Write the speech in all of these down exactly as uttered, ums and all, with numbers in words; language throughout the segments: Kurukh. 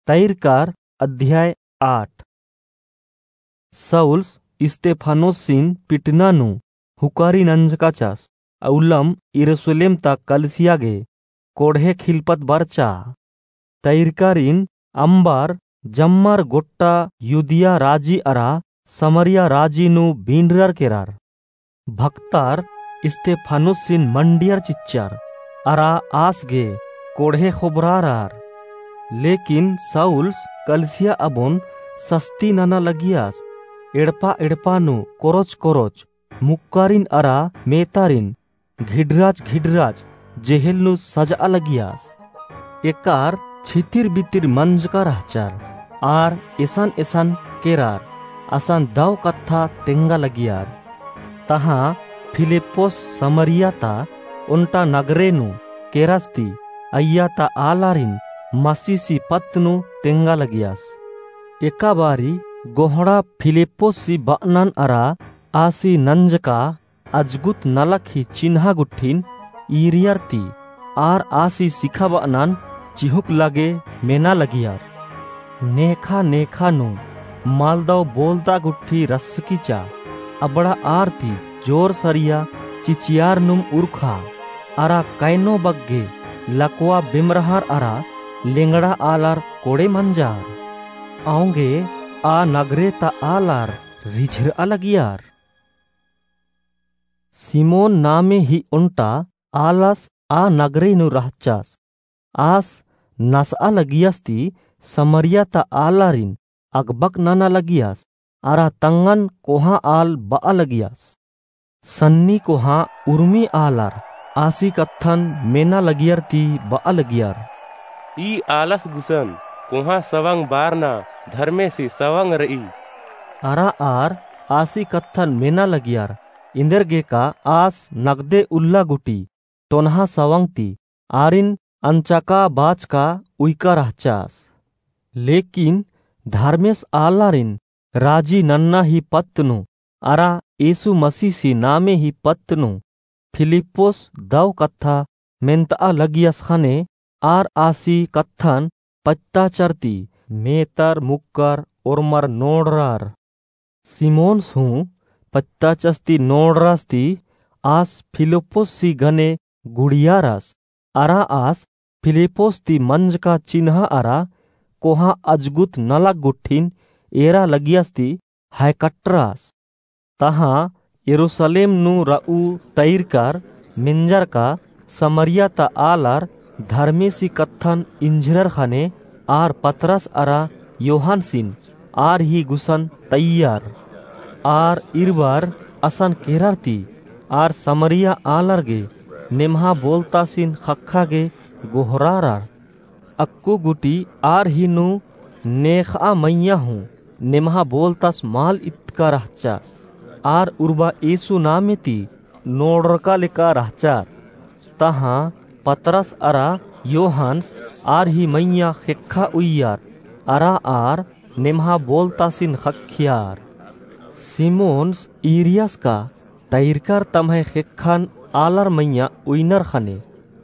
तैरकार अध्याय आठ। सौल्स इस्तेफानोसिन पिटना नू हुकारी नंजकाचस, अउलम यरूसलेम ता कलसिया गे कोड़हे खिलपत बरचा। तैरकारिन अम्बर जम्मर गोट्टा युदिया राजी अरा समरिया राजी नू बीनरर केरर। भक्तार इस्तेफानोसिन मंडियर चिच्चर, अरा आस गे कोड़हे खोबरारर। लेकिन सौल्स कलसिया अबोन सस्ती नना लगियस, एड़पा एड़पा नू कोरोच कोरोच मुक्कारिन अरा मेतारिन घिडराच घिडराच जेहेल नू सजआ लगियस। एकार छितिर बितिर मंजका रहचर, आर एसन एसन केरर, असन दव कत्था तेंगा लगियर। तहाँ फिलिप्पुस समरिया ता ओन्टा नगरे नू केरस ती अइय्या ता आलारिन मसीसी पत्त नू तेंगा लगियस। एका बारी गोहड़ा फिलिप्पुसी बअनन अरा आसी नंजका अजगुत नलख ही चिन्हा गुट्ठिन ईरियर ती आर आसी सिखाबअनन चिहुक लगे मेना लगियर। नेखा नेखा नू मलदव बोलदा गुट्ठी रसकिचा, अबड़ा आर ती जोर सरिया चिचियार नुम उरखा, अरा कैनो बग्गे लकवा बेमरहर अरा लेंगड़ा आलर कोड़े मंजार। औंगे आ नगरे ता आलर रिझरआ लगियर। सिमोन नामे ही ओन्टा आलस आ नगरे नू रहचस। आस नसआ लगियस ती समरिया ता आलारिन अगबक नना लगियस, अरा तंगन कोहाँ आल बआ लगियस। सन्नी कोहाँ उर्मी आलर आसी कत्थन मेना लगियर ती बआ लगियर, ई आलस गुसन कोहाँ सवंग बारना धर्मेसी सवंग रई। अरा आर आसी कत्थन मेना लगियर, इन्देरगेका आस नगदे उल्ला गुटी टोनहा सवंग ती आरिन अंचका बाचका उइका रहचस। लेकिन धर्मेस आलारिन राजी नन्ना ही पत्त नू अरा यीशु मसीसी नामे ही पत्त नू फिलिप्पुस दव कत्था मेन्तआ लगियस ख़ने आर आसी कत्थन पत्ताचर ती मेतर मुक्कर ओर्मर नोड़रर। सिमोनस हूँ पत्ताचस ती नोड़रस ती आस फिलिप्पुसी गने गुड़ियारस, अरा आस फिलिप्पुस ती मंजका चिन्हा अरा कोहाँ अजगुत नलख गुट्ठिन एरा लगियस ती हैकटरस। तहाँ यरूसलेम नू रऊ तैरकर मेंजरका समरिया ता आलर धर्मेसी कत्थन इंझरर ख़ने आर पतरस अरा योहानसिन आर ही गुसन तइयर। आर इरबर असन केरर ती आर समरिया आलर गे नेम्हा बोलतासिन ख़क्खा गे गोहरारर। अक्कु गुटी आर ही नू नेखआ मइय्याँ हूँ नेम्हा बोलतास मल इतका रहचस। आर उर्बा यीशु नामे ती नोड़रका लेका रहचर। तहाँ पतरस अरा योहानस आर ही मइय्याँ ख़ेक्खा उइयर अरा आर नेम्हा बोलतासिन ख़क्खियर। सिमोनस ईरियस का तैरकर तम्है ख़ेक्खन आलर मइय्याँ उइनर ख़ने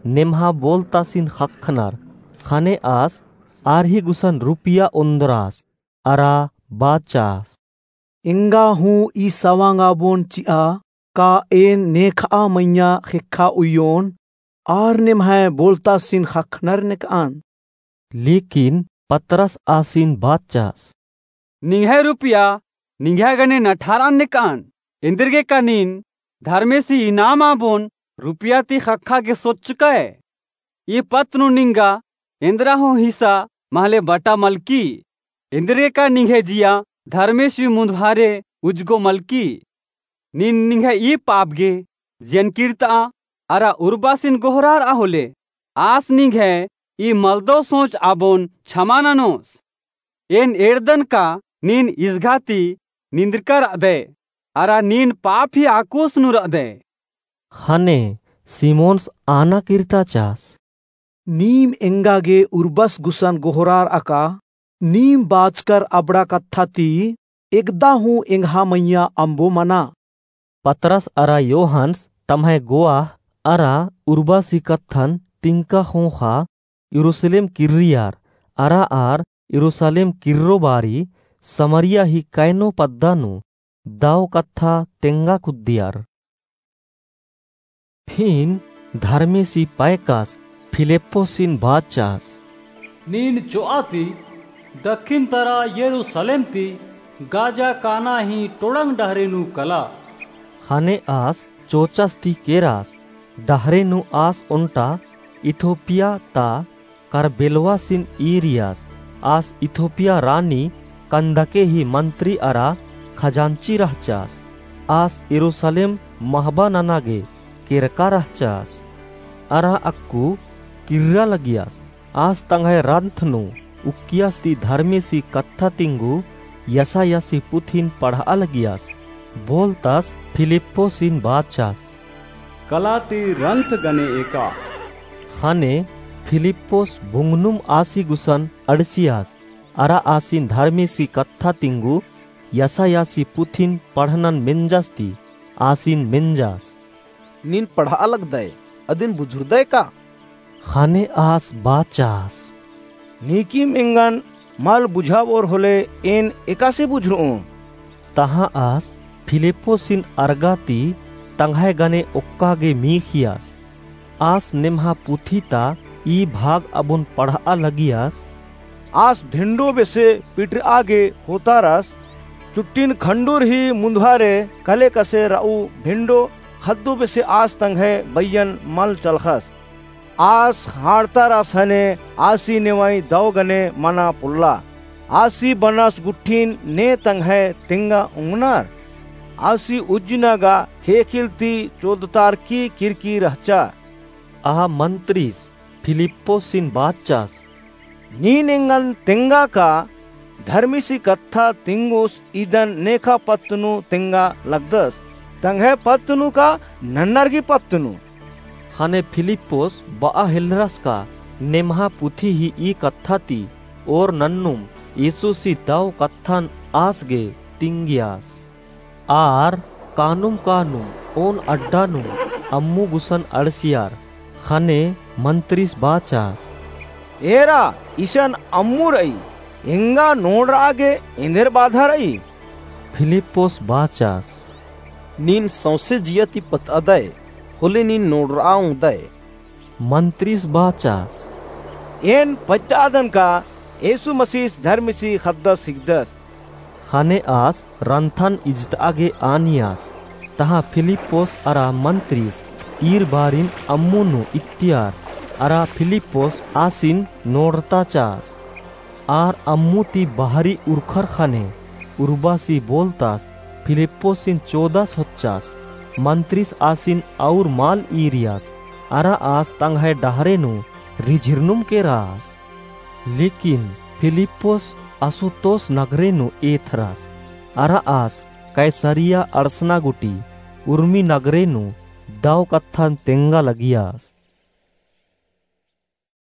नेम्हा बोलतासिन ख़क्खनर। ख़ने आस आर ही गुसन रुपिया ओन्द्रस अरा बाचस, एंगा हूँ ई सवंग आबोन चिआ का एन नेखआ मइय्याँ ख़ेक्खा उइयोन आर नेम्है बोलतासिन ख़क्खनर नेकअन। लेकिन पतरस आसिन बाचस, निंग्है रुपिया निंग्है गने नठारअन नेकअन, एन्देरगेका नीन धर्मेसी नाम आबोन रुपिया ती ख़क्खा गे सोचकय। ई पत्त नू निंगा एन्द्रा हूँ हिस्सा महले बटा मलकी, एन्देरगेका निंग्है जिया धर्मेसी मुन्दभारे उज्जको मलकी। नीन निंग्है ई पाप गे जियन किर्तआ अरा उर्बासिन गोहरारआ होले, आस निंग्है ई मलदो सोच आबोन छमा ननोस। एन एरदन का नीन इसघा ती निंदरका रअदय, अरा नीन पाप ही आकुस नू रअदय। ख़ने सिमोनस आना किर्ताचस, नीम एंगा गे उर्बस गुसन गोहरारआ का, नीम बाचकर अबड़ा कत्था ती एकदा हूँ एंग्है मइय्याँ अम्बो मना। पतरस अरा योहानस तम्है गोआह अरा उर्बासी कत्थन तिंका ख़ोख़ा यरूसलेम किर्रियर, अरा आर यरूसलेम किर्रो बारी समरिया ही कैनो पद्दा नू दव कत्था तेंगा कुद्दियर। फिन धर्मेसी पैकस फिलिप्पोसिन बाचस, नीन चोआ ती दक्खिन तरा यरूसलेम ती गाजा काना ही टोड़ंग डहरे नू कला। ख़ने आस चोचस ती केरस, डहरे नू आस ओन्टा इथोपिया ता करबेलवासिन ईरियस। आस इथोपिया रानी कंदके ही मंत्री अरा खजांची रहचस। आस यरूसलेम महबा नना गे केरका रहचस। अरा अक्कु किर्रा लगियस। आस तंग्है रंथ नू उक्कियस ती धर्मेसी कत्था तिंगु यसायासी पुथिन पढ़आ लगियस। बोलतस फिलिप्पोसिन बाचस, कला ती रंथ गने एका। ख़ने फिलिप्पोस भुंगनुम आसी गुसन अंड़सियस, अरा आसिन धर्मेसी कत्था तिंगु यसायासी पुथिन पढ़नन मेंजस ती आसिन मेंजस, नीन पढ़आ लगदय, अदिन बुझुरदय का? ख़ने आस बाचस, नीकिम एंगन मल बुझाबओर होले एन एकासे बुझुरओम? तहाँ आस फिलिप्पोसिन अरगा ती तंग्है गने ओक्का गे मीख़ियस। आस नेम्हा पुथी ता ई भाग अबुन पढ़आ लगियस। आस भेंडो बेसे पिटरआ गे होतारस, चुट्टिन खंडुर ही मुन्दहारे कले कसे रऊ भेंडो ख़द्दो बेसे आस तंग्है बइयन मल चलख़स। आस हाड़तारस ख़ने आसी नेवई दव गने मना पोल्ला। आसी बनस गुट्ठिन ने तंग्है तेंगा ओंगनर। आसी उज्जना गा ख़ेख़ेल ती चोदतारकी किरकी रहचा। आ मंत्रिस फिलिप्पोसिन बाचस, नीन एंगन तेंगा का धर्मेसी कत्था तिंगुस इदन नेखा पत्त नू तेंगा लगदस, तंग्है पत्त नू का नन्नर गी पत्त नू? ख़ने फिलिप्पोस बआ हेलरस का नेम्हा पुथी ही ई कत्था ती ओर नन्नुम यीशुसी दव कत्थन आस गे तिंगियस। आर कानुम कानुम ओन अड्डा नू अम्मु गुसन अंड़सियर। ख़ने मंत्रिस बाचस, एरा, इसन अम्मु रई, एंगा नोड़रआ गे एन्देर बाधा रई? फिलिप्पोस बाचस, नीन सौंसे जिया ती पतअदय, होले नीन नोड़रआ ओंगदय। मंत्रिस बाचस, एन पत्तअदन का यीशु मसीस धर्मेसी ख़द्दस हिकदस। ख़ने आस रंथन इजतआ गे आनियस। तहाँ फिलिप्पोस अरा मंत्रिस ईर बारिन अम्मु नू इत्तियर, अरा फिलिप्पोस आसिन नोड़रताचस। आर अम्मु ती बहरी उरखर ख़ने उर्बासी बोलतस, फिलिप्पोसिन चोदस होच्चस। मंत्रिस आसिन और मल ईरियस, अरा आस तंग्है डहरे नू रिझिरनुम केरस। लेकिन फिलिप्पोस असुतोस नगरे नू एथरस, अरा आस कैसरिया अंड़सना गूटी उर्मी नगरे नू दव कत्थन तेंगा लगियस।